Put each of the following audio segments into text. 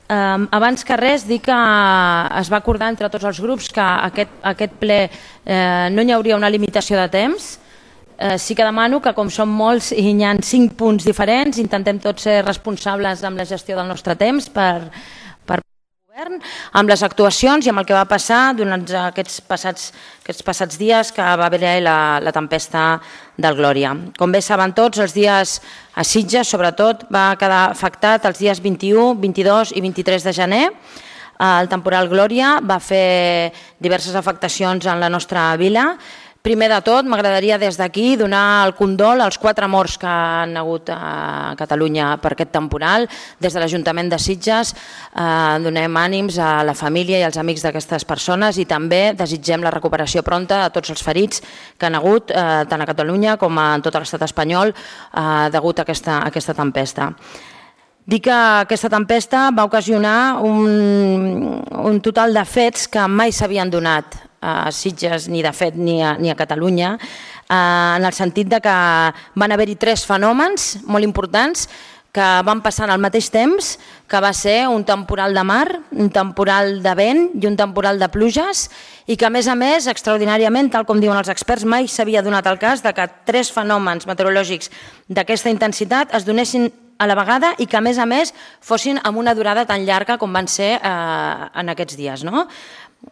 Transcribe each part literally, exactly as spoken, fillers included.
Um, abans que res, dir que es va acordar entre tots els grups que aquest, aquest ple eh, no hi hauria una limitació de temps. Eh, sí que demano que, com som molts i hi ha cinc punts diferents, intentem tots ser responsables amb la gestió del nostre temps per, per govern, amb les actuacions i amb el que va passar durant aquests passats, aquests passats dies que va haver la, la tempesta del Glòria. Com bé saben tots, els dies a Sitges, sobretot, va quedar afectat els dies vint-i-u, vint-i-dos i vint-i-tres de gener. El temporal Glòria va fer diverses afectacions en la nostra vila. Primer de tot, m'agradaria des d'aquí donar el condol als quatre morts que han hagut a Catalunya per aquest temporal. Des de l'Ajuntament de Sitges eh, donem ànims a la família i als amics d'aquestes persones i també desitgem la recuperació pronta a tots els ferits que han hagut eh, tant a Catalunya com a tot l'estat espanyol eh, degut a aquesta, a aquesta tempesta. Dir que aquesta tempesta va ocasionar un, un total de fets que mai s'havien donat a Sitges, ni de fet ni a, ni a Catalunya, eh, en el sentit de que van haver-hi tres fenòmens molt importants que van passar al mateix temps, que va ser un temporal de mar, un temporal de vent i un temporal de pluges, i que a més a més, extraordinàriament, tal com diuen els experts, mai s'havia donat el cas de que tres fenòmens meteorològics d'aquesta intensitat es donessin a la vegada i que a més a més fossin amb una durada tan llarga com van ser eh, en aquests dies, no?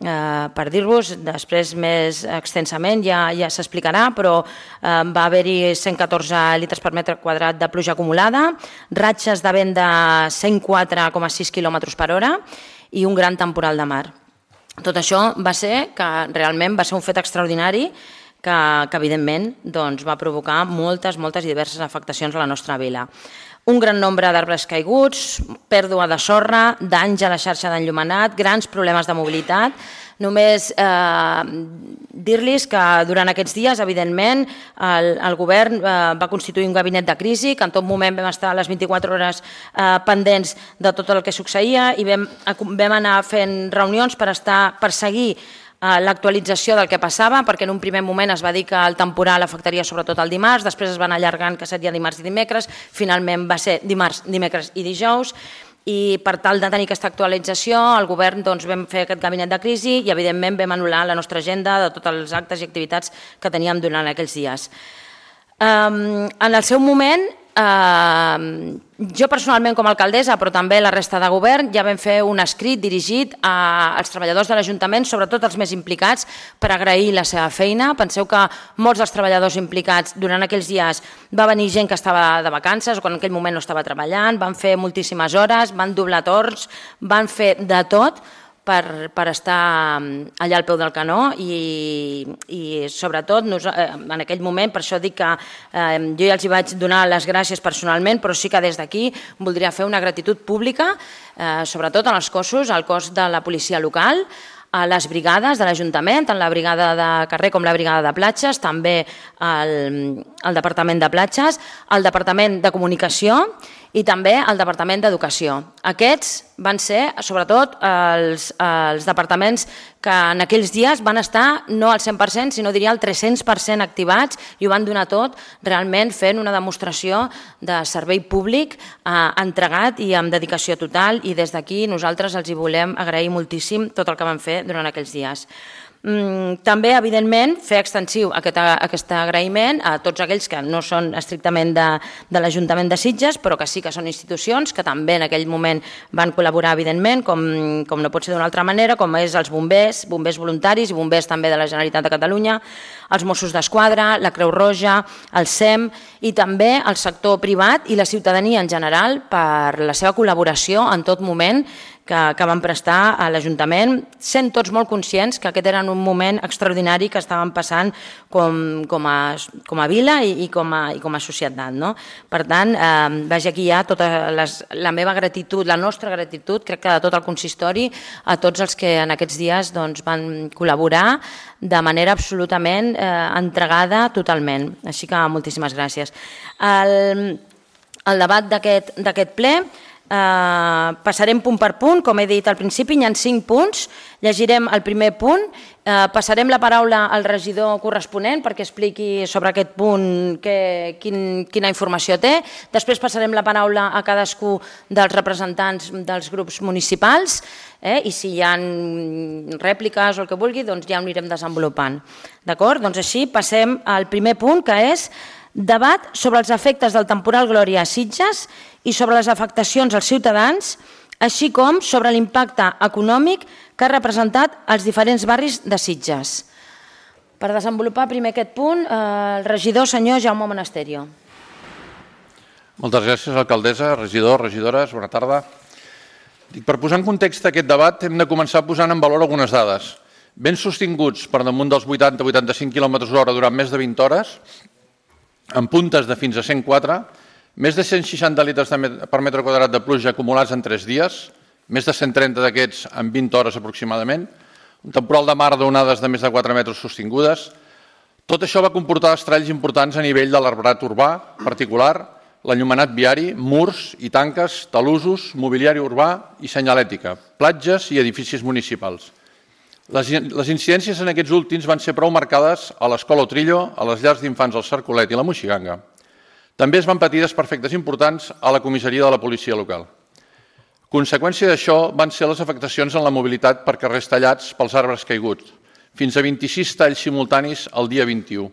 Uh, per dir-vos, després més extensament ja, ja s'explicarà, però uh, va haver-hi cent catorze litres per metre quadrat de pluja acumulada, ratxes de vent de cent quatre coma sis quilòmetres per hora i un gran temporal de mar. Tot això va ser que realment va ser un fet extraordinari que, que evidentment doncs, va provocar moltes, moltes i diverses afectacions a la nostra vila. Un gran nombre d'arbres caiguts, pèrdua de sorra, danys a la xarxa d'enllumenat, grans problemes de mobilitat. Només eh, dir-los que durant aquests dies, evidentment, el, el govern eh, va constituir un gabinet de crisi, que en tot moment vam estar a les vint-i-quatre hores eh, pendents de tot el que succeïa i vam, vam anar fent reunions per, estar, per seguir l'actualització del que passava, perquè en un primer moment es va dir que el temporal afectaria sobretot el dimarts, després es van allargant que seria dimarts i dimecres, finalment va ser dimarts, dimecres i dijous, i per tal de tenir aquesta actualització el govern doncs, vam fer aquest gabinet de crisi i evidentment vam anul·lar la nostra agenda de tots els actes i activitats que teníem durant aquells dies. Um, en el seu moment, Uh, jo personalment com a alcaldessa, però també la resta de govern, ja vam fer un escrit dirigit a, als treballadors de l'Ajuntament, sobretot els més implicats, per agrair la seva feina. Penseu que molts dels treballadors implicats durant aquells dies va venir gent que estava de vacances o que en aquell moment no estava treballant, van fer moltíssimes hores, van doblar torns, van fer de tot per, per estar allà al peu del canó i, i sobretot nos, eh, en aquell moment, per això dic que eh, jo ja els hi vaig donar les gràcies personalment, però sí que des d'aquí voldria fer una gratitud pública, eh, sobretot en els cossos, al cos de la policia local, a les brigades de l'Ajuntament, tant la brigada de carrer com la brigada de platges, també el, el Departament de Platges, el Departament de Comunicació i també el Departament d'Educació. Aquests van ser, sobretot, els, els departaments que en aquells dies van estar no al cent per cent, sinó diria al tres-cents per cent activats i ho van donar tot, realment fent una demostració de servei públic eh, entregat i amb dedicació total, i des d'aquí nosaltres els hi volem agrair moltíssim tot el que van fer durant aquells dies. També, evidentment, fer extensiu aquest, aquest agraïment a tots aquells que no són estrictament de, de l'Ajuntament de Sitges, però que sí que són institucions que també en aquell moment van col·laborar, evidentment, com, com no pot ser d'una altra manera, com és els bombers, bombers voluntaris i bombers també de la Generalitat de Catalunya, els Mossos d'Esquadra, la Creu Roja, el S E M i també el sector privat i la ciutadania en general per la seva col·laboració en tot moment que, que van prestar a l'Ajuntament, sent tots molt conscients que aquest era un moment extraordinari que estaven passant com, com, a, com a vila i, i, com a, i com a societat. No? Per tant, eh, vagi aquí ja tota les, la meva gratitud, la nostra gratitud, crec que de tot el consistori, a tots els que en aquests dies doncs, van col·laborar de manera absolutament eh, entregada totalment. Així que moltíssimes gràcies. El, el debat d'aquest ple Passarem punt per punt, com he dit al principi, hi ha cinc punts, llegirem el primer punt, passarem la paraula al regidor corresponent perquè expliqui sobre aquest punt quina informació té, després passarem la paraula a cadascú dels representants dels grups municipals i si hi ha rèpliques o el que vulgui, doncs ja ho anirem desenvolupant. D'acord? Doncs així passem al primer punt, que és debat sobre els efectes del temporal Glòria a Sitges i sobre les afectacions als ciutadans, així com sobre l'impacte econòmic que ha representat als diferents barris de Sitges. Per desenvolupar primer aquest punt, el regidor senyor Jaume Monasterio. Moltes gràcies, alcaldessa, regidors, regidores, bona tarda. Per posar en context aquest debat hem de començar posant en valor algunes dades. Ben sostinguts per damunt dels vuitanta a vuitanta-cinc quilòmetres hora durant més de vint hores, amb puntes de fins a cent quatre, més de cent seixanta litres per metre quadrat de pluja acumulats en tres dies, més de cent trenta d'aquests en vint hores aproximadament, un temporal de mar d'onades de més de quatre metres sostingudes. Tot això va comportar estralls importants a nivell de l'arbrat urbà particular, l'enllumenat viari, murs i tanques, talussos, mobiliari urbà i senyalètica, platges i edificis municipals. Les incidències en aquests últims van ser prou marcades a l'Escola Otrillo, a les llars d'infants al Cercolet i la Moixiganga. També es van patir desperfectes importants a la comissaria de la policia local. Conseqüència d'això van ser les afectacions en la mobilitat per carrers tallats pels arbres caiguts, fins a vint-i-sis talls simultanis el dia vint-i-u,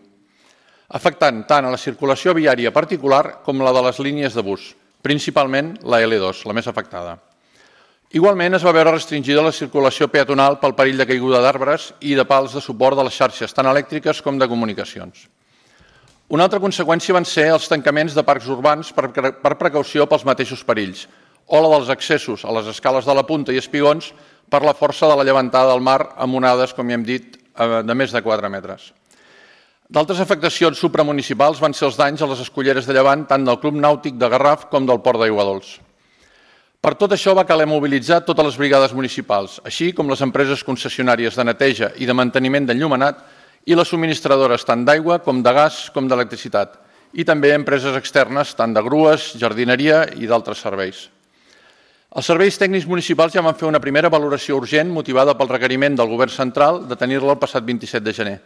afectant tant a la circulació viària particular com la de les línies de bus, principalment la L dos, la més afectada. Igualment es va veure restringida la circulació peatonal pel perill de caiguda d'arbres i de pals de suport de les xarxes tant elèctriques com de comunicacions. Una altra conseqüència van ser els tancaments de parcs urbans per precaució pels mateixos perills, o la dels accessos a les escales de la Punta i espigons per la força de la llevantada del mar amb onades, com ja hem dit, de més de quatre metres. D'altres afectacions supramunicipals van ser els danys a les esculleres de llevant tant del Club Nàutic de Garraf com del Port d'Aiguadols. Per tot això va caler mobilitzar totes les brigades municipals, així com les empreses concessionàries de neteja i de manteniment d'enllumenat i les subministradores tant d'aigua com de gas com d'electricitat, i també empreses externes tant de grues, jardineria i d'altres serveis. Els serveis tècnics municipals ja van fer una primera valoració urgent motivada pel requeriment del Govern central de tenir-la el passat vint-i-set de gener.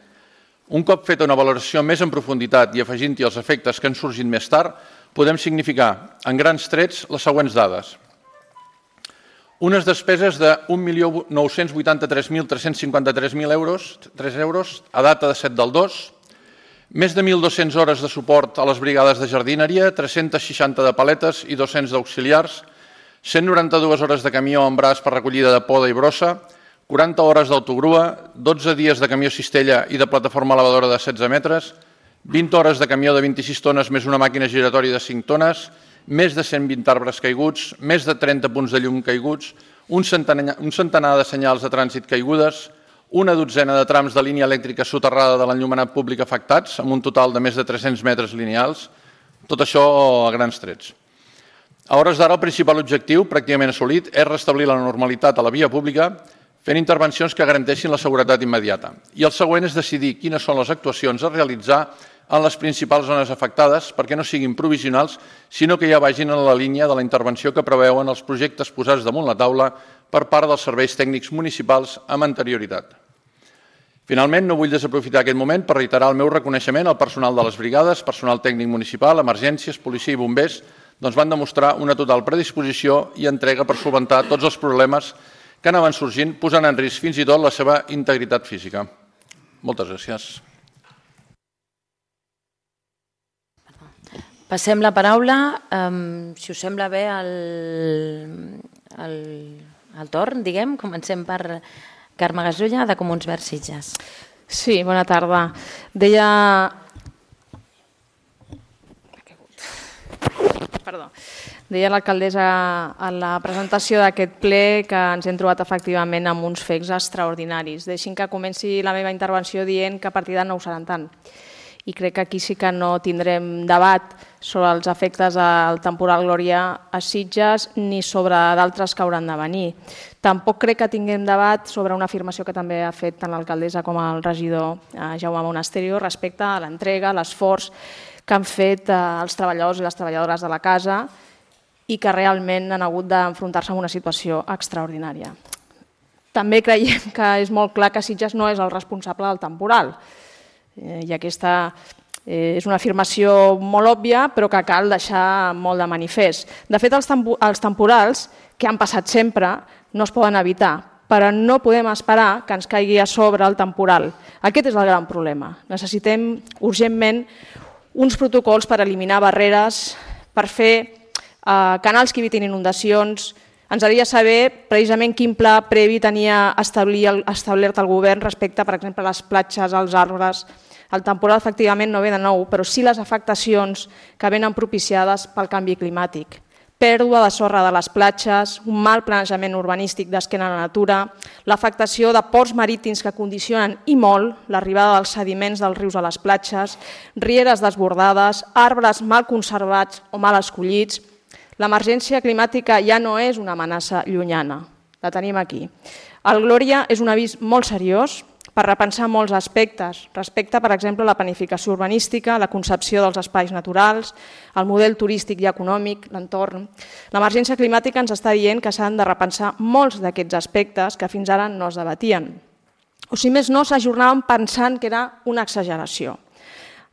Un cop feta una valoració més en profunditat i afegint-hi els efectes que han sorgit més tard, podem significar, en grans trets, les següents dades. Unes despeses de un milió nou-cents vuitanta-tres mil tres-cents cinquanta-tres euros a data de set del dos, més de mil dues-centes hores de suport a les brigades de jardineria, tres-centes seixanta de paletes i dos-cents d'auxiliars, cent noranta-dues hores de camió en braç per recollida de poda i brossa, quaranta hores d'autogrua, dotze dies de camió cistella i de plataforma elevadora de setze metres, vint hores de camió de vint-i-sis tones més una màquina giratòria de cinc tones, més de cent vint arbres caiguts, més de trenta punts de llum caiguts, un centenar de senyals de trànsit caigudes, una dotzena de trams de línia elèctrica soterrada de l'enllumenat públic afectats, amb un total de més de tres-cents metres lineals, tot això a grans trets. A hores d'ara, el principal objectiu, pràcticament assolit, és restablir la normalitat a la via pública fent intervencions que garanteixin la seguretat immediata. I el següent és decidir quines són les actuacions a realitzar en les principals zones afectades perquè no siguin provisionals, sinó que ja vagin en la línia de la intervenció que preveuen els projectes posats damunt la taula per part dels serveis tècnics municipals amb anterioritat. Finalment, no vull desaprofitar aquest moment per reiterar el meu reconeixement al personal de les brigades, personal tècnic municipal, emergències, policia i bombers, doncs van demostrar una total predisposició i entrega per solventar tots els problemes que anaven sorgint, posant en risc fins i tot la seva integritat física. Moltes gràcies. Passem la paraula, si us sembla bé, al torn, diguem. Comencem per Carme Gasulla, de Comuns Verds Sitges. Sí, bona tarda. Deia... Perdó. Deia l'alcaldessa en la presentació d'aquest ple que ens hem trobat efectivament amb uns fets extraordinaris. Deixin que comenci la meva intervenció dient que a partir de no ho seran tant. I crec que aquí sí que no tindrem debat sobre els efectes del temporal Glòria a Sitges ni sobre d'altres que hauran de venir. Tampoc crec que tinguem debat sobre una afirmació que també ha fet tant l'alcaldessa com el regidor Jaume Monasterio respecte a l'entrega, l'esforç que han fet els treballadors i les treballadores de la casa i que realment han hagut d'enfrontar-se amb una situació extraordinària. També creiem que és molt clar que Sitges no és el responsable del temporal. I aquesta és una afirmació molt òbvia, però que cal deixar molt de manifest. De fet, els temporals, que han passat sempre, no es poden evitar, però no podem esperar que ens caigui a sobre el temporal. Aquest és el gran problema. Necessitem urgentment uns protocols per eliminar barreres, per fer canals que evitin inundacions. Ens agradaria saber precisament quin pla previ tenia establert el govern respecte, per exemple, a les platges, als arbres. El temporal efectivament no ve de nou, però sí les afectacions que venen propiciades pel canvi climàtic. Pèrdua de sorra de les platges, un mal planejament urbanístic d'esquena a la natura, l'afectació de ports marítims que condicionen i molt l'arribada dels sediments dels rius a les platges, rieres desbordades, arbres mal conservats o mal escollits. L'emergència climàtica ja no és una amenaça llunyana, la tenim aquí. El Glòria és un avís molt seriós per repensar molts aspectes, respecte, per exemple, a la planificació urbanística, la concepció dels espais naturals, el model turístic i econòmic, l'entorn. L'emergència climàtica ens està dient que s'han de repensar molts d'aquests aspectes que fins ara no es debatien. O si més no, s'ajornaven pensant que era una exageració.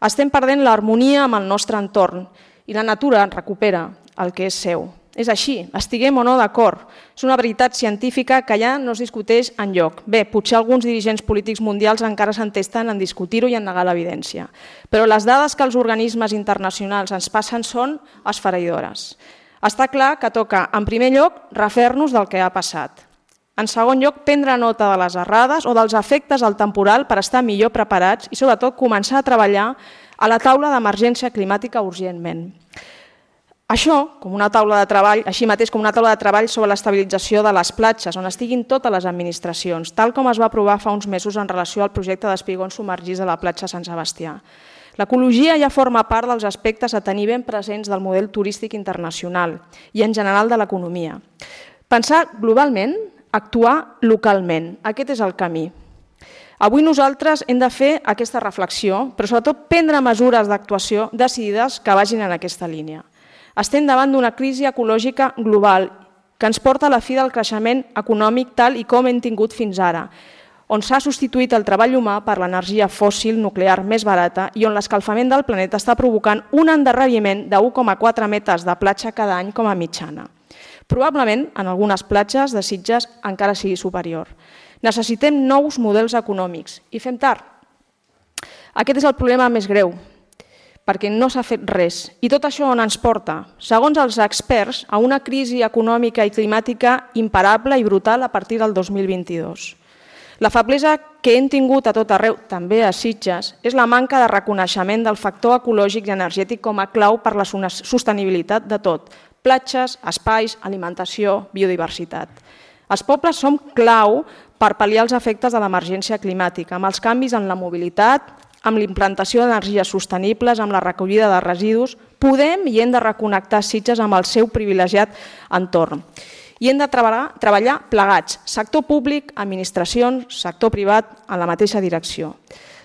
Estem perdent l'harmonia amb el nostre entorn i la natura recupera el que és seu. És així, estiguem o no d'acord. És una veritat científica que ja no es discuteix enlloc. Bé, potser alguns dirigents polítics mundials encara s'entesten en discutir-ho i en negar l'evidència. Però les dades que els organismes internacionals ens passen són esfereïdores. Està clar que toca, en primer lloc, refer-nos del que ha passat. En segon lloc, prendre nota de les errades o dels efectes del temporal per estar millor preparats i, sobretot, començar a treballar a la taula d'emergència climàtica urgentment. Això, com una taula de treball, així mateix com una taula de treball sobre l'estabilització de les platges, on estiguin totes les administracions, tal com es va aprovar fa uns mesos en relació al projecte d'espigons submergits de la platja Sant Sebastià. L'ecologia ja forma part dels aspectes a tenir ben presents del model turístic internacional i en general de l'economia. Pensar globalment, actuar localment, aquest és el camí. Avui nosaltres hem de fer aquesta reflexió, però sobretot prendre mesures d'actuació decidides que vagin en aquesta línia. Estem davant d'una crisi ecològica global que ens porta a la fi del creixement econòmic tal i com hem tingut fins ara, on s'ha substituït el treball humà per l'energia fòssil nuclear més barata i on l'escalfament del planeta està provocant un endarreriment de u coma quatre metres de platja cada any com a mitjana. Probablement, en algunes platges de Sitges encara sigui superior. Necessitem nous models econòmics i fem tard. Aquest és el problema més greu, perquè no s'ha fet res. I tot això on ens porta? Segons els experts, a una crisi econòmica i climàtica imparable i brutal a partir del dos mil vint-i-dos. La feblesa que hem tingut a tot arreu, també a Sitges, és la manca de reconeixement del factor ecològic i energètic com a clau per la sostenibilitat de tot. Platges, espais, alimentació, biodiversitat. Els pobles som clau per pal·liar els efectes de l'emergència climàtica, amb els canvis en la mobilitat, amb l'implantació d'energies sostenibles, amb la recollida de residus, podem i hem de reconnectar Sitges amb el seu privilegiat entorn. I hem de treballar, treballar plegats, sector públic, administracions, sector privat, en la mateixa direcció.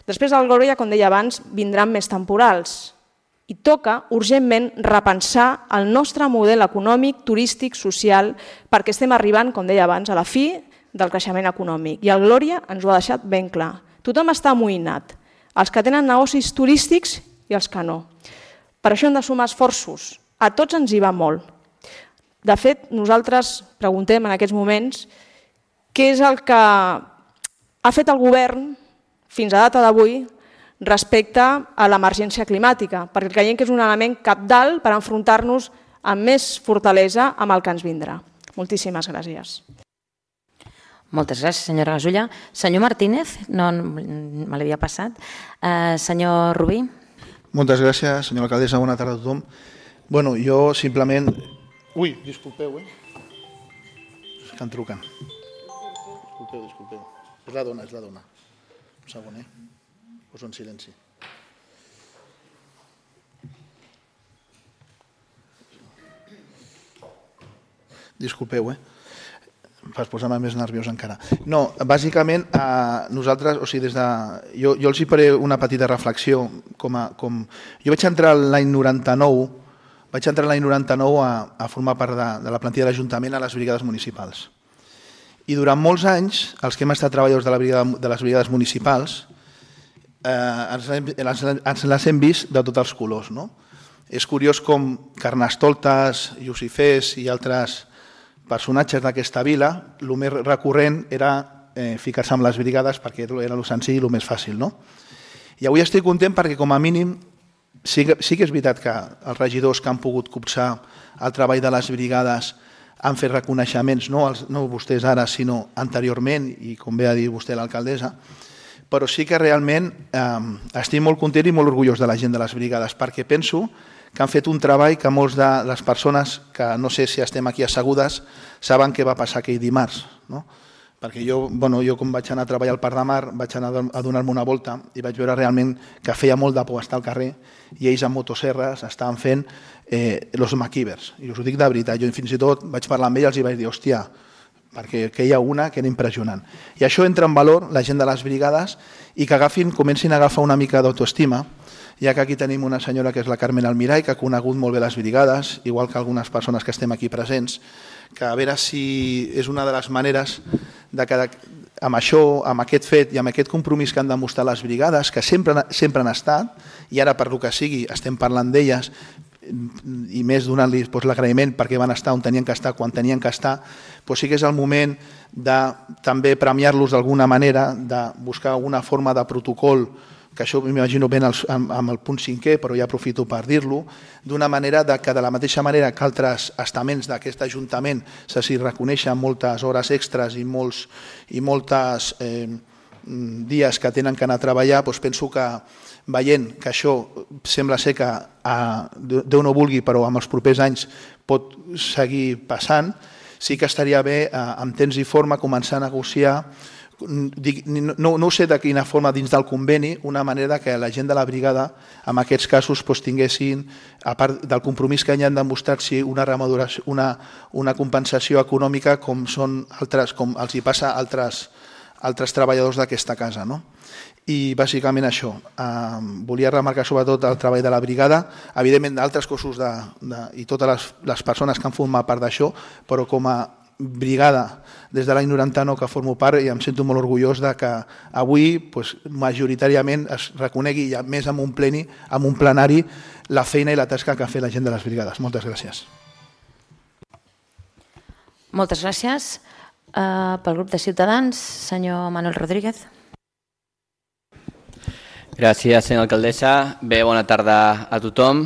Després del Glòria, com deia abans, vindran més temporals i toca urgentment repensar el nostre model econòmic, turístic, social, perquè estem arribant, com deia abans, a la fi del creixement econòmic. I el Glòria ens ho ha deixat ben clar. Tothom està amoïnat. Els que tenen negocis turístics i els que no. Per això hem de sumar esforços. A tots ens hi va molt. De fet, nosaltres preguntem en aquests moments què és el que ha fet el govern fins a data d'avui respecte a l'emergència climàtica, perquè creiem que és un element cabdal per enfrontar-nos amb més fortalesa amb el que ens vindrà. Moltíssimes gràcies. Moltes gràcies, senyora Gasulla. Senyor Martínez, no me l'havia passat. Uh, senyor Rubí. Moltes gràcies, senyora alcaldessa. Bona tarda a tothom. Bueno, jo simplement... Ui, disculpeu, eh? És que em truquen. Disculpeu, disculpeu. És la dona, és la dona. Un segon, eh? Poso en silenci. Disculpeu, eh? Per posar-me més nerviós encara. No, bàsicament, eh, nosaltres, o sigui, des de... Jo, jo els hi faré una petita reflexió. Com a, com... Jo vaig entrar l'any noranta-nou vaig entrar l'any noranta-nou a, a formar part de, de la plantilla de l'Ajuntament a les brigades municipals. I durant molts anys, els que hem estat treballadors de, la brigada, de les brigades municipals, eh, ens, ens, ens les hem vist de tots els colors. No? És curiós com Carnestoltes, Lucifers i altres personatges d'aquesta vila, el més recurrent era eh, ficar-se amb les brigades perquè era el senzill i el més fàcil. No? I avui estic content perquè com a mínim sí que, sí que és veritat que els regidors que han pogut copsar el treball de les brigades han fet reconeixements, no, els, no vostès ara, sinó anteriorment, i com bé ha dit vostè l'alcaldessa, però sí que realment eh, estic molt content i molt orgullós de la gent de les brigades, perquè penso que han fet un treball que molts de les persones, que no sé si estem aquí assegudes, saben què va passar aquell dimarts. No? Perquè jo, bueno, jo com vaig anar a treballar al Parc de Mar, vaig anar a donar-me una volta i vaig veure realment que feia molt de por estar al carrer i ells amb motoserres estaven fent eh, los maquívers. I us ho dic de veritat, jo fins i tot vaig parlar amb ells i vaig dir, hòstia, perquè que hi ha una que era impressionant. I això entra en valor la gent de les brigades i que agafin, comencin a agafar una mica d'autoestima, ja que aquí tenim una senyora que és la Carmen Almirall, que ha conegut molt bé les brigades, igual que algunes persones que estem aquí presents, que a veure si és una de les maneres de que amb això, amb aquest fet i amb aquest compromís que han demostrat les brigades, que sempre, sempre han estat, i ara per lo que sigui estem parlant d'elles, i més donant-li doncs, l'agraïment perquè van estar on tenien que estar, quan tenien que estar, doncs sí que és el moment de també premiar-los d'alguna manera, de buscar una forma de protocol, que això m'imagino ben amb, amb el punt cinquè, però ja aprofito per dir-lo, d'una manera de que de la mateixa manera que altres estaments d'aquest Ajuntament se s'hi reconeixen moltes hores extres i molts i moltes eh, dies que tenen que anar a treballar, doncs penso que veient que això sembla ser que a, Déu no vulgui, però en els propers anys pot seguir passant, sí que estaria bé en temps i forma començar a negociar, no, no ho sé de quina forma dins del conveni, una manera que la gent de la brigada en aquests casos doncs, tinguessin, a part del compromís que ja han demostrat, si una, una, una compensació econòmica com, són altres, com els hi passa a altres, altres treballadors d'aquesta casa. No? I bàsicament això, eh, volia remarcar sobretot el treball de la brigada, evidentment d'altres cossos de, de, i totes les, les persones que han format part d'això, però com a brigada des de l'any noranta-nou que formo part i em sento molt orgullós de que avui doncs, majoritàriament es reconegui ja més amb un pleni, amb un plenari la feina i la tasca que ha fet la gent de les brigades. Moltes gràcies. Moltes gràcies. Uh, pel grup de Ciutadans, senyor Manuel Rodríguez. Gràcies, senyora alcaldessa. Bé, bona tarda a tothom.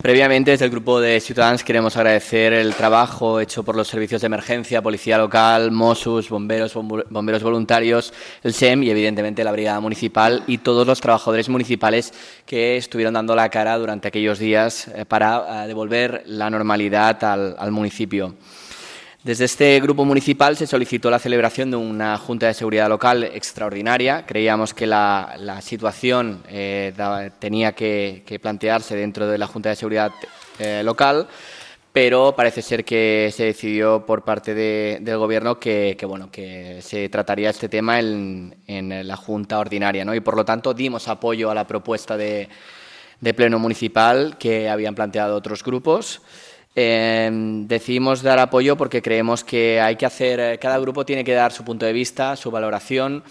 Previamente, desde el Grupo de Ciudadanos queremos agradecer el trabajo hecho por los servicios de emergencia, Policía Local, Mossos, bomberos, bomberos voluntarios, el S E M y evidentemente la Brigada Municipal y todos los trabajadores municipales que estuvieron dando la cara durante aquellos días para devolver la normalidad al, al municipio. Desde este grupo municipal se solicitó la celebración de una Junta de Seguridad Local extraordinaria. Creíamos que la, la situación eh, da, tenía que, que plantearse dentro de la Junta de Seguridad eh, Local, pero parece ser que se decidió por parte de, del Gobierno que, que, bueno, que se trataría este tema en, en la Junta Ordinaria, ¿no? Y por lo tanto dimos apoyo a la propuesta de, de Pleno Municipal que habían planteado otros grupos. Eh, decidimos dar apoyo porque creemos que hay que hacer, cada grupo tiene que dar su punto de vista, su valoración,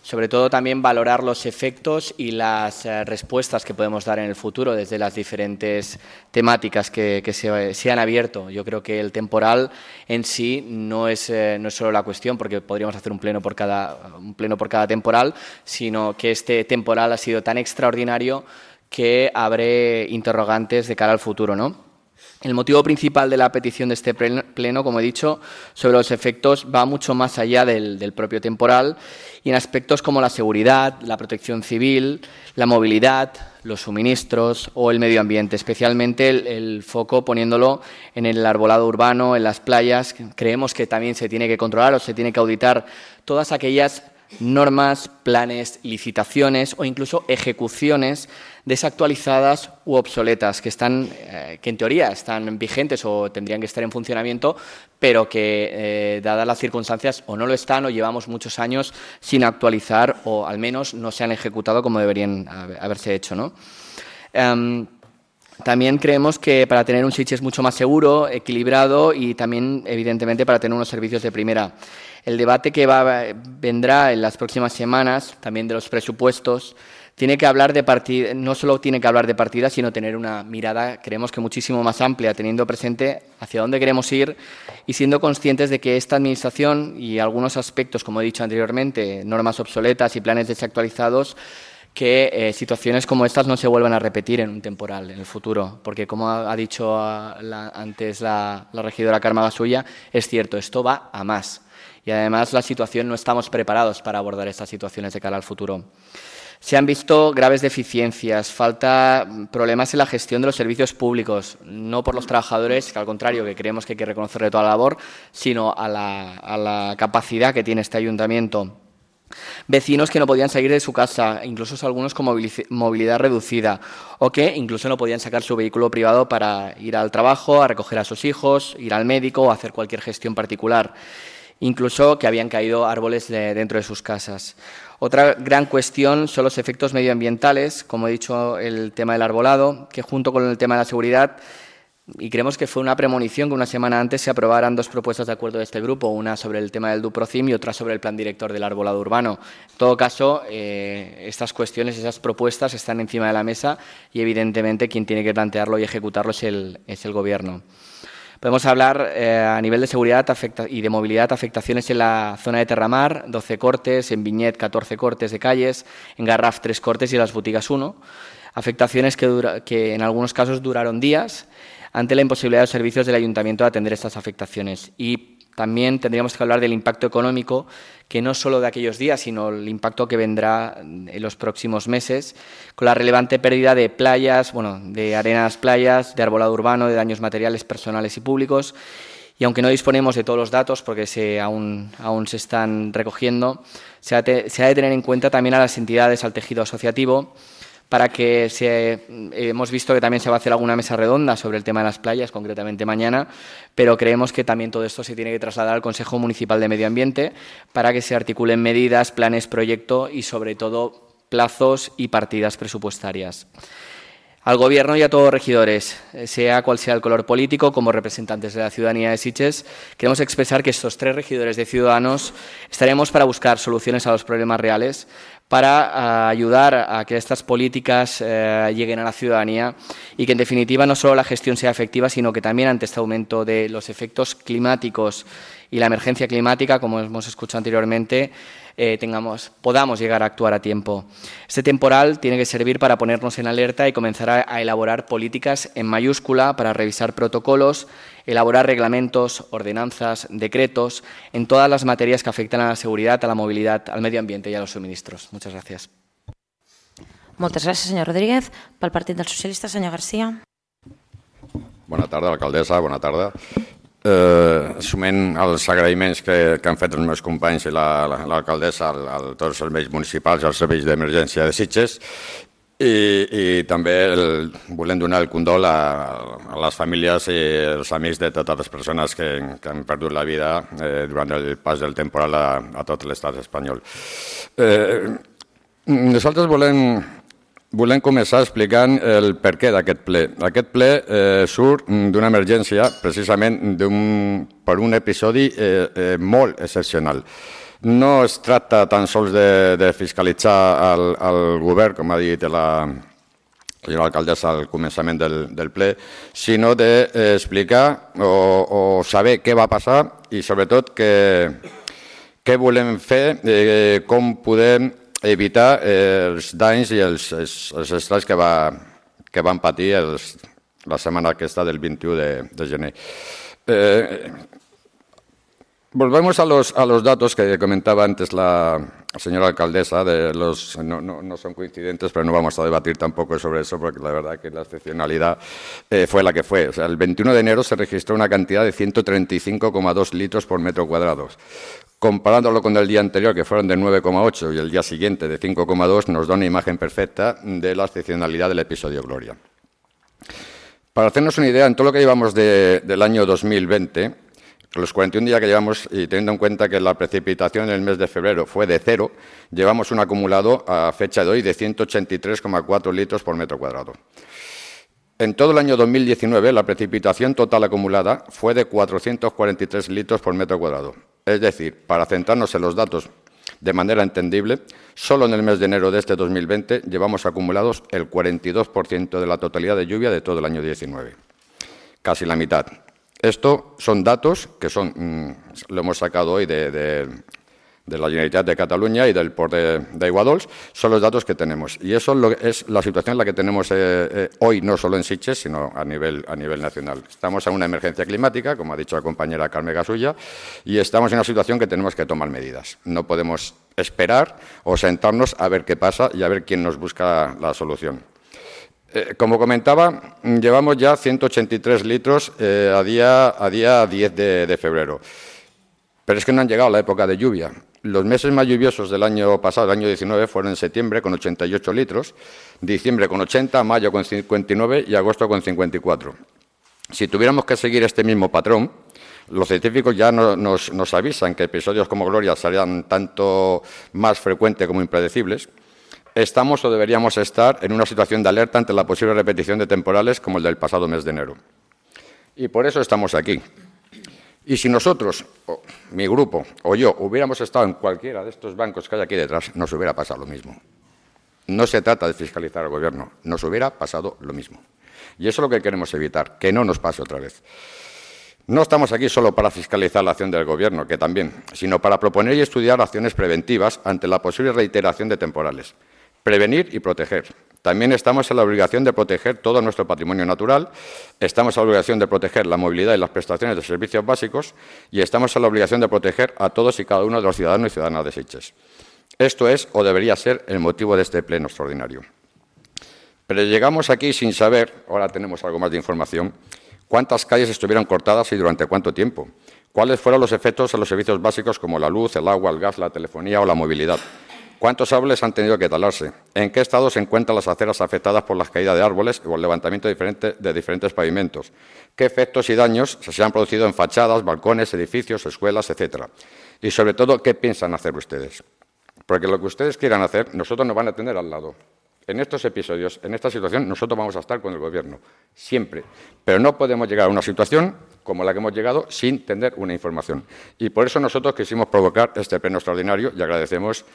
sobre todo también valorar los efectos y las eh, respuestas que podemos dar en el futuro desde las diferentes temáticas que, que se, se han abierto. Yo creo que el temporal en sí no es, eh, no es solo la cuestión, porque podríamos hacer un pleno por cada, un pleno por cada temporal, sino que este temporal ha sido tan extraordinario que abre interrogantes de cara al futuro, ¿no? El motivo principal de la petición de este pleno, como he dicho, sobre los efectos va mucho más allá del, del propio temporal y en aspectos como la seguridad, la protección civil, la movilidad, los suministros o el medio ambiente, especialmente el, el foco poniéndolo en el arbolado urbano, en las playas. Creemos que también se tiene que controlar o se tiene que auditar todas aquellas normas, planes, licitaciones o incluso ejecuciones desactualizadas u obsoletas que están, eh, que en teoría están vigentes o tendrían que estar en funcionamiento, pero que eh, dadas las circunstancias o no lo están o llevamos muchos años sin actualizar o al menos no se han ejecutado como deberían haberse hecho, ¿no? Um, También creemos que para tener un Sitges mucho más seguro, equilibrado y también, evidentemente, para tener unos servicios de primera. El debate que va, vendrá en las próximas semanas, también de los presupuestos, tiene que hablar de partida, no solo tiene que hablar de partida, sino tener una mirada, creemos que muchísimo más amplia, teniendo presente hacia dónde queremos ir y siendo conscientes de que esta Administración y algunos aspectos, como he dicho anteriormente, normas obsoletas y planes desactualizados, que eh, situaciones como estas no se vuelvan a repetir en un temporal, en el futuro. Porque, como ha, ha dicho la, antes la, la regidora Carme Gasulla, es cierto, esto va a más. Y además la situación, no estamos preparados para abordar estas situaciones de cara al futuro. Se han visto graves deficiencias, falta problemas en la gestión de los servicios públicos, no por los trabajadores, que al contrario, que creemos que hay que reconocerle toda la labor, sino a la, a la capacidad que tiene este ayuntamiento. Vecinos que no podían salir de su casa, incluso algunos con movilidad reducida, o que incluso no podían sacar su vehículo privado para ir al trabajo, a recoger a sus hijos, ir al médico o hacer cualquier gestión particular. Incluso que habían caído árboles de, dentro de sus casas. Otra gran cuestión son los efectos medioambientales, como he dicho, el tema del arbolado, que junto con el tema de la seguridad, y creemos que fue una premonición que una semana antes se aprobaran dos propuestas de acuerdo de este grupo, una sobre el tema del Duprocim y otra sobre el plan director del arbolado urbano. En todo caso, eh, estas cuestiones, esas propuestas están encima de la mesa y evidentemente quien tiene que plantearlo y ejecutarlo es el, es el Gobierno. Podemos hablar eh, a nivel de seguridad afecta y de movilidad, afectaciones en la zona de Terramar, doce cortes, en Viñet catorce cortes de calles, en Garraf tres cortes y en las Botigas uno. Afectaciones que, dura, que en algunos casos duraron días ante la imposibilidad de los servicios del Ayuntamiento de atender estas afectaciones. Y también tendríamos que hablar del impacto económico, que no solo de aquellos días, sino el impacto que vendrá en los próximos meses, con la relevante pérdida de playas, bueno, de arenas playas, de arbolado urbano, de daños materiales personales y públicos. Y aunque no disponemos de todos los datos, porque se, aún, aún se están recogiendo, se ha, te, se ha de tener en cuenta también a las entidades, al tejido asociativo, para que se, hemos visto que también se va a hacer alguna mesa redonda sobre el tema de las playas, concretamente mañana, pero creemos que también todo esto se tiene que trasladar al Consejo Municipal de Medio Ambiente para que se articulen medidas, planes, proyecto y, sobre todo, plazos y partidas presupuestarias. Al Gobierno y a todos los regidores, sea cual sea el color político, como representantes de la ciudadanía de Sitges, queremos expresar que estos tres regidores de Ciudadanos estaremos para buscar soluciones a los problemas reales, para uh, ayudar a que estas políticas uh, lleguen a la ciudadanía y que, en definitiva, no solo la gestión sea efectiva, sino que también ante este aumento de los efectos climáticos y la emergencia climática, como hemos escuchado anteriormente, eh, tengamos, podamos llegar a actuar a tiempo. Este temporal tiene que servir para ponernos en alerta y comenzar a, a elaborar políticas en mayúscula para revisar protocolos, elaborar reglamentos, ordenanzas, decretos en todas las materias que afectan a la seguridad, a la movilidad, al medio ambiente y a los suministros. Muchas gracias. Moltes gràcies, senyor Rodríguez. Pel Partit dels Socialistes, senyor Garcia. Bona tarda, alcaldessa, bona tarda. Eh, assumint els agraïments que, que han fet els meus companys i l'alcaldessa la, a tots els serveis municipals i als serveis d'emergència de Sitges, i, i també el, volem donar el condol a, a les famílies i els amics de totes les persones que, que han perdut la vida eh, durant el pas del temporal a, a tot l'estat espanyol. Eh, nosaltres volem Volem començar explicant el perquè d'aquest ple. Aquest ple eh, surt d'una emergència, precisament per un episodi eh, eh, molt excepcional. No es tracta tan sols de, de fiscalitzar el, el govern, com ha dit la senyora alcaldessa al començament del, del ple, sinó d'explicar o, o saber què va passar i, sobretot, què volem fer, eh, com podem evitar eh, els danys i els, els, els estralls que, va, que van patir els, la setmana aquesta del vint-i-u de, de gener. Eh, volvemos a los, a los datos que comentaba antes la señora alcaldesa, de los, no, no, no son coincidentes, pero no vamos a debatir tampoco sobre eso, porque la verdad que la excepcionalidad eh, fue la que fue. O sea, el veintiuno de enero se registró una cantidad de ciento treinta y cinco coma dos litros por metro cuadrado. Comparándolo con el día anterior, que fueron de nueve coma ocho, y el día siguiente de cinco coma dos, nos da una imagen perfecta de la excepcionalidad del episodio Gloria. Para hacernos una idea, en todo lo que llevamos de, del año dos mil veinte, los cuarenta y un días que llevamos, y teniendo en cuenta que la precipitación en el mes de febrero fue de cero, llevamos un acumulado a fecha de hoy de ciento ochenta y tres coma cuatro litros por metro cuadrado. En todo el año dos mil diecinueve, la precipitación total acumulada fue de cuatrocientos cuarenta y tres litros por metro cuadrado. Es decir, para centrarnos en los datos de manera entendible, solo en el mes de enero de este dos mil veinte llevamos acumulados el cuarenta y dos por ciento de la totalidad de lluvia de todo el año diecinueve. Casi la mitad. Esto son datos que son, mmm, lo hemos sacado hoy de, de, de la Generalitat de Cataluña y del Port de, de Aiguadols, son los datos que tenemos. Y eso es, lo, es la situación en la que tenemos eh, eh, hoy, no solo en Sitges, sino a nivel, a nivel nacional. Estamos en una emergencia climática, como ha dicho la compañera Carme Gasulla, y estamos en una situación que tenemos que tomar medidas. No podemos esperar o sentarnos a ver qué pasa y a ver quién nos busca la solución. Eh, como comentaba, llevamos ya ciento ochenta y tres litros eh, a, día, a día diez de, de febrero. Pero es que no han llegado a la época de lluvia. Los meses más lluviosos del año pasado, el año diecinueve, fueron en septiembre con ochenta y ocho litros, diciembre con ochenta, mayo con cincuenta y nueve y agosto con cincuenta y cuatro. Si tuviéramos que seguir este mismo patrón, los científicos ya no, nos, nos avisan que episodios como Gloria serían tanto más frecuentes como impredecibles. Estamos o deberíamos estar en una situación de alerta ante la posible repetición de temporales como el del pasado mes de enero. Y por eso estamos aquí. Y si nosotros, o mi grupo o yo, hubiéramos estado en cualquiera de estos bancos que hay aquí detrás, nos hubiera pasado lo mismo. No se trata de fiscalizar al Gobierno, nos hubiera pasado lo mismo. Y eso es lo que queremos evitar, que no nos pase otra vez. No estamos aquí solo para fiscalizar la acción del Gobierno, que también, sino para proponer y estudiar acciones preventivas ante la posible reiteración de temporales. Prevenir y proteger. También estamos en la obligación de proteger todo nuestro patrimonio natural, estamos en la obligación de proteger la movilidad y las prestaciones de servicios básicos y estamos en la obligación de proteger a todos y cada uno de los ciudadanos y ciudadanas de Sitges. Esto es o debería ser el motivo de este pleno extraordinario. Pero llegamos aquí sin saber, ahora tenemos algo más de información, cuántas calles estuvieron cortadas y durante cuánto tiempo, cuáles fueron los efectos en los servicios básicos como la luz, el agua, el gas, la telefonía o la movilidad. ¿Cuántos árboles han tenido que talarse? ¿En qué estado se encuentran las aceras afectadas por la caída de árboles o el levantamiento de diferentes, de diferentes pavimentos? ¿Qué efectos y daños se han producido en fachadas, balcones, edificios, escuelas, etcétera? Y, sobre todo, ¿qué piensan hacer ustedes? Porque lo que ustedes quieran hacer, nosotros nos van a tener al lado. En estos episodios, en esta situación, nosotros vamos a estar con el Gobierno, siempre. Pero no podemos llegar a una situación como la que hemos llegado sin tener una información. Y por eso nosotros quisimos provocar este pleno extraordinario y agradecemos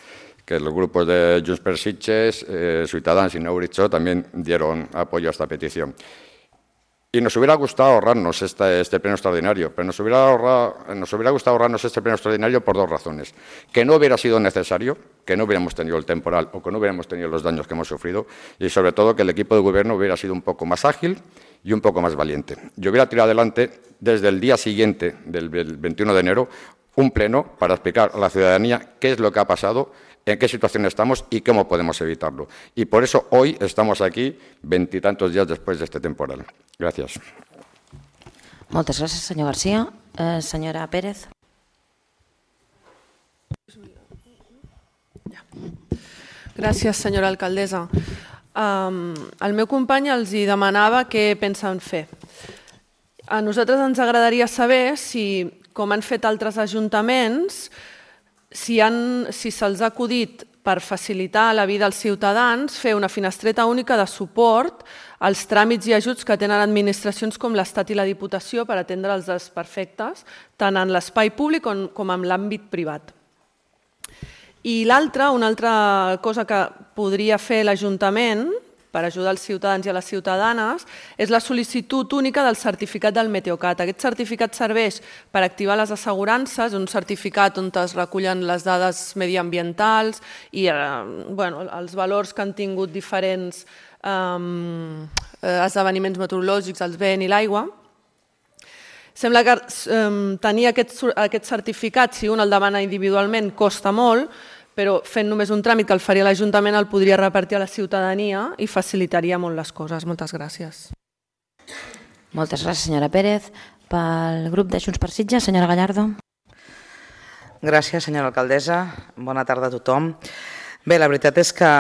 que los grupos de Junts per Sitges, eh, Ciutadans y Neuritxo también dieron apoyo a esta petición. Y nos hubiera gustado ahorrarnos este, este pleno extraordinario, pero nos hubiera, ahorrado, nos hubiera gustado ahorrarnos este pleno extraordinario por dos razones. Que no hubiera sido necesario, que no hubiéramos tenido el temporal o que no hubiéramos tenido los daños que hemos sufrido y, sobre todo, que el equipo de Gobierno hubiera sido un poco más ágil y un poco más valiente. Yo hubiera tirado adelante, desde el día siguiente, del veintiuno de enero, un pleno para explicar a la ciudadanía qué es lo que ha pasado, en qué situación estamos y cómo podemos evitarlo. Y por eso hoy estamos aquí, veintitantos días después de este temporal. Gracias. Moltes gràcies, senyor García. Eh, senyora Pérez. Gràcies, senyora alcaldessa. Um, el meu company els hi demanava què pensen fer. A nosaltres ens agradaria saber si, com han fet altres ajuntaments, si, han, si se'ls ha acudit per facilitar la vida als ciutadans fer una finestreta única de suport als tràmits i ajuts que tenen administracions com l'Estat i la Diputació per atendre els desperfectes, tant en l'espai públic com en l'àmbit privat. I l'altra, una altra cosa que podria fer l'Ajuntament per ajudar els ciutadans i a les ciutadanes, és la sol·licitud única del certificat del Meteocat. Aquest certificat serveix per activar les assegurances, un certificat on es recullen les dades mediambientals i els valors que han tingut diferents esdeveniments meteorològics, el vent i l'aigua. Sembla que tenir aquest certificat, si un el demana individualment, costa molt, però fent només un tràmit que el faria l'Ajuntament el podria repartir a la ciutadania i facilitaria molt les coses. Moltes gràcies. Moltes gràcies, senyora Pérez. Pel grup de Junts per Sitges, senyora Gallardo. Gràcies, senyora alcaldessa. Bona tarda a tothom. Bé, la veritat és que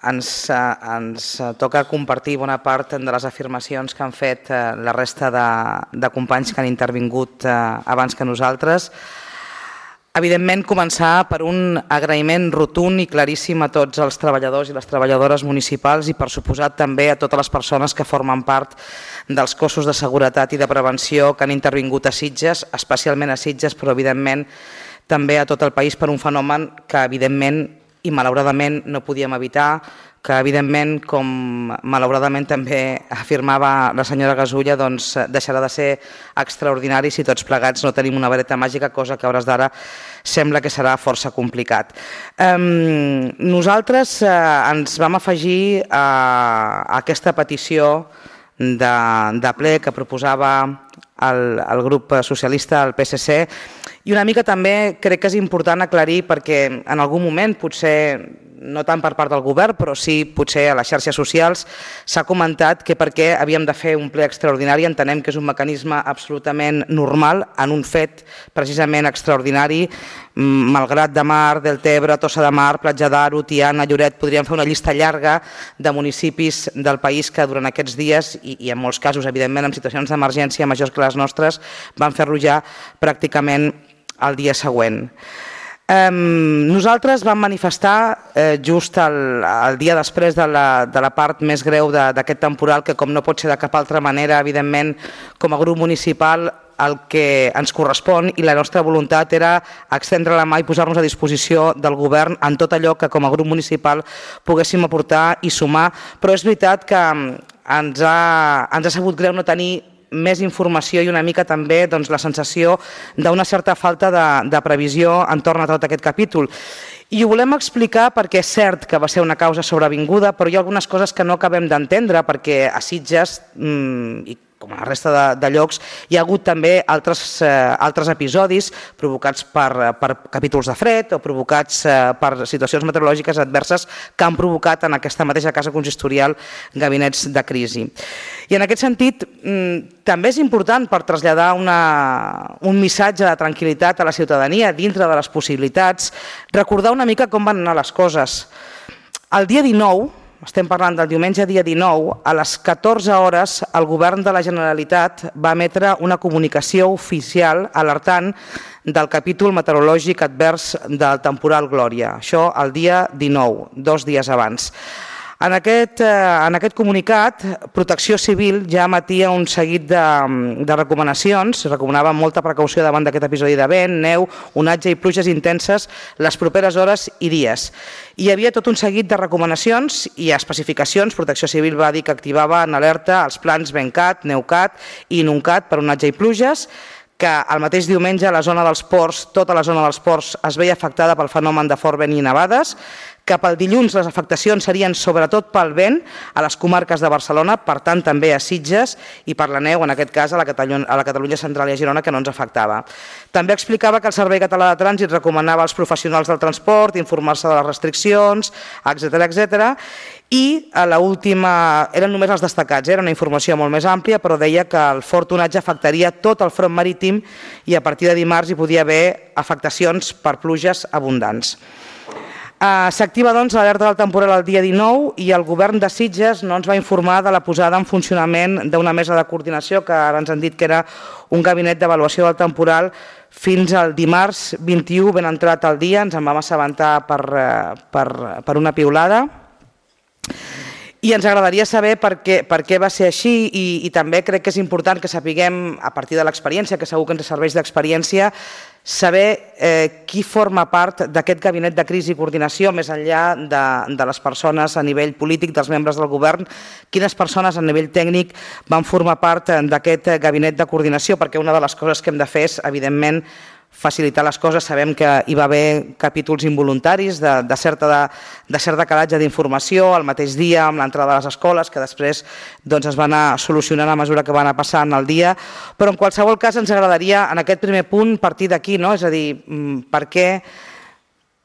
ens, ens toca compartir bona part de les afirmacions que han fet la resta de, de companys que han intervingut abans que nosaltres. Evidentment, començar per un agraïment rotund i claríssim a tots els treballadors i les treballadores municipals i, per suposat, també a totes les persones que formen part dels cossos de seguretat i de prevenció que han intervingut a Sitges, especialment a Sitges, però, evidentment, també a tot el país per un fenomen que, evidentment, i malauradament no podíem evitar, que evidentment, com malauradament també afirmava la senyora Gasulla, doncs deixarà de ser extraordinari si tots plegats no tenim una vareta màgica, cosa que a hores d'ara sembla que serà força complicat. Nosaltres ens vam afegir a aquesta petició de ple que proposava el grup socialista, el P S C, i una mica també crec que és important aclarir perquè en algun moment potser no tant per part del govern, però sí potser a les xarxes socials s'ha comentat que perquè havíem de fer un ple extraordinari entenem que és un mecanisme absolutament normal en un fet precisament extraordinari, Malgrat de Mar, Deltebre, Tossa de Mar, Platja d'Aro, Tiana, Lloret, podríem fer una llista llarga de municipis del país que durant aquests dies, i en molts casos evidentment en situacions d'emergència majors que les nostres, van fer-lo ja pràcticament el dia següent. Nosaltres vam manifestar just el dia després de la part més greu d'aquest temporal que, com no pot ser de cap altra manera, evidentment, com a grup municipal, el que ens correspon i la nostra voluntat era extendre la mà i posar-nos a disposició del govern en tot allò que com a grup municipal poguéssim aportar i sumar, però és veritat que ens ha sabut greu no tenir més informació i una mica també la sensació d'una certa falta de previsió entorn a tot aquest capítol. I ho volem explicar perquè és cert que va ser una causa sobrevinguda, però hi ha algunes coses que no acabem d'entendre perquè a Sitges, i com a la resta de llocs, hi ha hagut també altres episodis provocats per capítols de fred o provocats per situacions meteorològiques adverses que han provocat en aquesta mateixa casa consistorial gabinets de crisi. I en aquest sentit, també és important per traslladar un missatge de tranquil·litat a la ciutadania dintre de les possibilitats, recordar una mica com van anar les coses. El dia dinou, estem parlant del diumenge dia dinou, a les catorze hores el govern de la Generalitat va emetre una comunicació oficial alertant del capítol meteorològic advers del temporal Glòria. Això el dia dinou, dos dies abans. En aquest comunicat, Protecció Civil ja emetia un seguit de recomanacions, recomanava molta precaució davant d'aquest episodi de vent, neu, onatge i pluges intenses les properes hores i dies. Hi havia tot un seguit de recomanacions i especificacions. Protecció Civil va dir que activava en alerta els plans VENCAT, NEUCAT i INUNCAT per onatge i pluges, que el mateix diumenge a la zona dels ports, tota la zona dels ports es veia afectada pel fenomen de fort vent i nevades, que pel dilluns les afectacions serien sobretot pel vent a les comarques de Barcelona, per tant també a Sitges, i per la neu, en aquest cas a la Catalunya central i a Girona, que no ens afectava. També explicava que el Servei Català de Trànsit recomanava als professionals del transport informar-se de les restriccions, etcètera, etcètera, i l'última, eren només els destacats, era una informació molt més àmplia, però deia que el fort onatge afectaria tot el front marítim i a partir de dimarts hi podia haver afectacions per pluges abundants. S'activa doncs l'alerta del temporal el dia dinou i el govern de Sitges no ens va informar de la posada en funcionament d'una mesa de coordinació que ara ens han dit que era un gabinet d'avaluació del temporal fins al dimarts vint-i-u, ben entrat el dia, ens en vam assabentar per una piulada. I ens agradaria saber per què va ser així i també crec que és important que sapiguem, a partir de l'experiència, que segur que ens serveix d'experiència, saber qui forma part d'aquest gabinet de crisi i coordinació, més enllà de les persones a nivell polític, dels membres del govern, quines persones a nivell tècnic van formar part d'aquest gabinet de coordinació, perquè una de les coses que hem de fer és, evidentment, facilitar les coses. Sabem que hi va haver capítols involuntaris de cert decalatge d'informació el mateix dia amb l'entrada a les escoles que després es va anar solucionant a mesura que va anar passant el dia, però en qualsevol cas ens agradaria en aquest primer punt partir d'aquí, és a dir, per què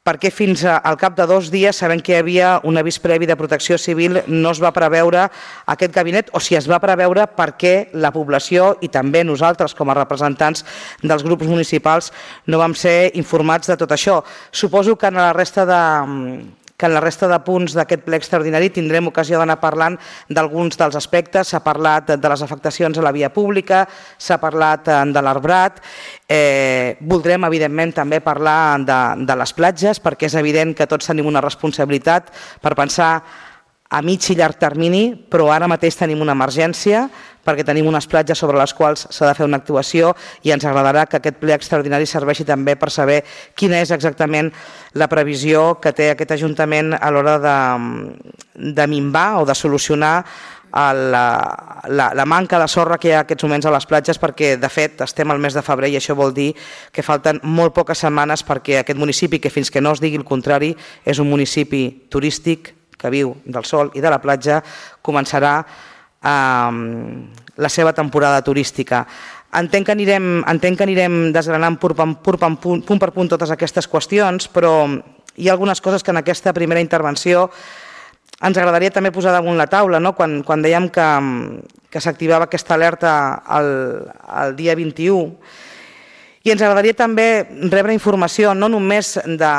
perquè fins al cap de dos dies, sabent que hi havia un avís previ de Protecció Civil, no es va preveure aquest gabinet, o si es va preveure perquè la població i també nosaltres com a representants dels grups municipals no vam ser informats de tot això. Suposo que en la resta de que en la resta de punts d'aquest ple extraordinari tindrem ocasió d'anar parlant d'alguns dels aspectes. S'ha parlat de les afectacions a la via pública, s'ha parlat de l'arbrat. Eh, voldrem, evidentment, també parlar de, de les platges, perquè és evident que tots tenim una responsabilitat per pensar a mig i llarg termini, però ara mateix tenim una emergència perquè tenim unes platges sobre les quals s'ha de fer una actuació i ens agradarà que aquest ple extraordinari serveixi també per saber quina és exactament la previsió que té aquest Ajuntament a l'hora de, de minvar o de solucionar la, la, la manca de sorra que hi ha en aquests moments a les platges, perquè de fet estem al mes de febrer i això vol dir que falten molt poques setmanes perquè aquest municipi, que fins que no es digui el contrari, és un municipi turístic que viu del sol i de la platja, començarà eh, la seva temporada turística. Entenc que anirem, entenc que anirem desgranant punt per punt, punt per punt totes aquestes qüestions, però hi ha algunes coses que en aquesta primera intervenció ens agradaria també posar damunt la taula, no? Quan, quan dèiem que, que s'activava aquesta alerta el, el dia vint-i-u, i ens agradaria també rebre informació no només de,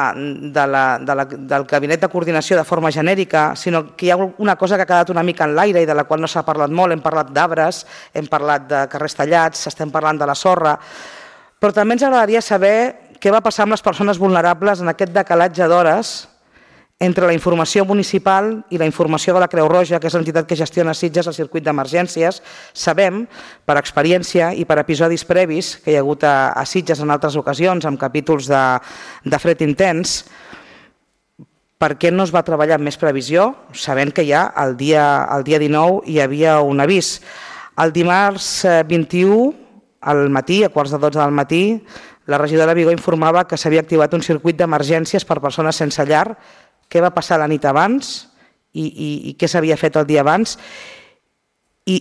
de la, de la, del Gabinet de Coordinació de forma genèrica, sinó que hi ha una cosa que ha quedat una mica en l'aire i de la qual no s'ha parlat molt. Hem parlat d'arbres, hem parlat de carrers tallats, estem parlant de la sorra, però també ens agradaria saber què va passar amb les persones vulnerables en aquest decalatge d'hores entre la informació municipal i la informació de la Creu Roja, que és l'entitat que gestiona a Sitges el circuit d'emergències. Sabem, per experiència i per episodis previs que hi ha hagut a, a Sitges en altres ocasions, amb capítols de, de fred intens, per què no es va treballar amb més previsió, sabent que ja el dia, el dia dinou hi havia un avís. El dimarts vint-i-u, al matí, a quarts de dotze del matí, la regidora Vigó informava que s'havia activat un circuit d'emergències per persones sense llar. Què va passar la nit abans i, i, i què s'havia fet el dia abans i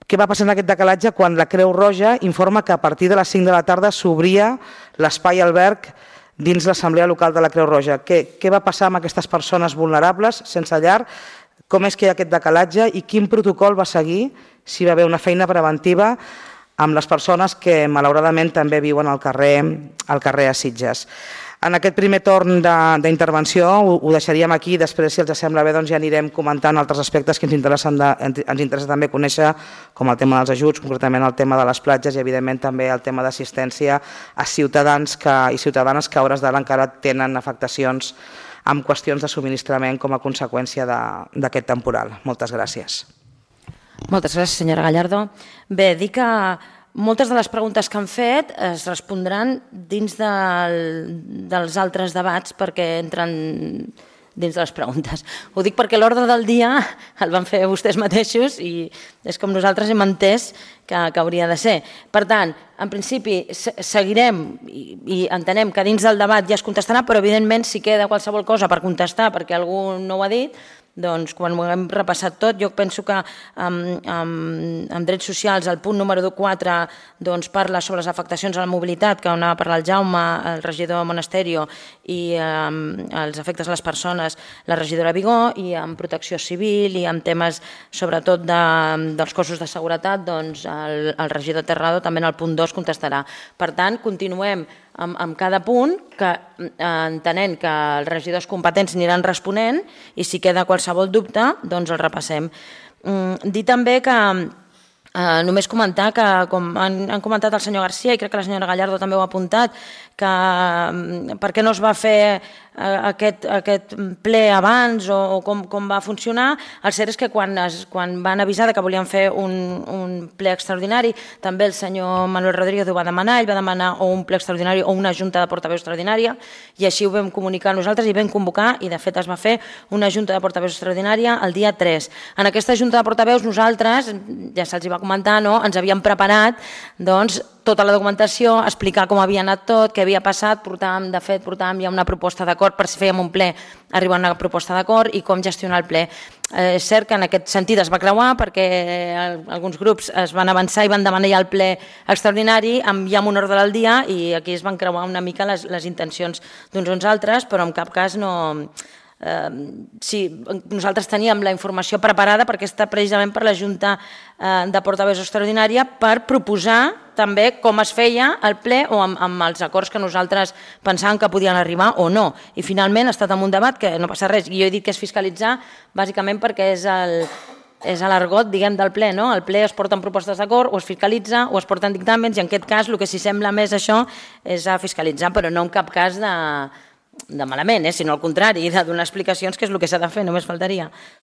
què va passar en aquest decalatge quan la Creu Roja informa que a partir de les cinc de la tarda s'obria l'espai alberg dins l'Assemblea Local de la Creu Roja. Què, què va passar amb aquestes persones vulnerables sense llar? Com és que hi ha aquest decalatge i quin protocol va seguir si va haver una feina preventiva amb les persones que malauradament també viuen al carrer, al carrer a Sitges. En aquest primer torn d'intervenció ho, ho deixaríem aquí, després, si els sembla bé, doncs ja anirem comentant altres aspectes que ens interessen de, ens interessa també conèixer, com el tema dels ajuts, concretament el tema de les platges i, evidentment, també el tema d'assistència a ciutadans que, i ciutadanes que a hores d'ara encara tenen afectacions amb qüestions de subministrament com a conseqüència d'aquest temporal. Moltes gràcies. Moltes gràcies, senyora Gallardo. Bé, dir que moltes de les preguntes que han fet es respondran dins del, dels altres debats perquè entren dins de les preguntes. Ho dic perquè l'ordre del dia el van fer vostès mateixos i és com nosaltres hem entès que, que hauria de ser. Per tant, en principi seguirem i, i entenem que dins del debat ja es contestarà, però evidentment si queda qualsevol cosa per contestar perquè algú no ho ha dit, doncs quan ho hem repassat tot, jo penso que amb, amb, amb drets socials el punt número quatre doncs, parla sobre les afectacions a la mobilitat, que on ha parlat el Jaume, el regidor Monasterio, i eh, els efectes a les persones, la regidora Vigó, i amb protecció civil i amb temes sobretot de, dels cossos de seguretat, doncs el, el regidor Terrado també en el punt dos contestarà. Per tant, continuem amb, amb cada punt, que eh, entenent que els regidors competents aniran responent i si queda qualsevol dubte, doncs el repassem. Mm, dir també que eh, només comentar que, com han, han comentat el senyor Garcia i crec que la senyora Gallardo també ho ha apuntat, que per què no es va fer aquest, aquest ple abans o, o com, com va funcionar. El cert és que quan, es, quan van avisar que volien fer un, un ple extraordinari, també el senyor Manuel Rodríguez ho va demanar, ell va demanar o un ple extraordinari o una junta de portaveus extraordinària i així ho vam comunicar nosaltres i vam convocar i de fet es va fer una junta de portaveus extraordinària el dia tres. En aquesta junta de portaveus nosaltres, ja se'ls va comentar, no? Ens havíem preparat doncs, tota la documentació, explicar com havia anat tot, què havia passat, portàvem, de fet portàvem ja una proposta d'acord per si fèiem un ple, arribar a una proposta d'acord i com gestionar el ple. Eh, és cert que en aquest sentit es va creuar perquè alguns grups es van avançar i van demanar ja el ple extraordinari amb, ja amb un ordre del dia i aquí es van creuar una mica les, les intencions d'uns uns altres, però en cap cas no... sí, nosaltres teníem la informació preparada perquè està precisament per la Junta de Portaveus Extraordinària per proposar també com es feia el ple o amb, amb els acords que nosaltres pensàvem que podien arribar o no. I finalment ha estat en un debat que no passa res. I jo he dit que és fiscalitzar bàsicament perquè és el... és l'argot, diguem, del ple, no? El ple es porten propostes d'acord, o es fiscalitza, o es porten dictàmens, i en aquest cas el que s'hi sembla més això és a fiscalitzar, però no en cap cas de, de malament, eh? Sinó al contrari, de donar explicacions, que és el que s'ha de fer, només faltaria.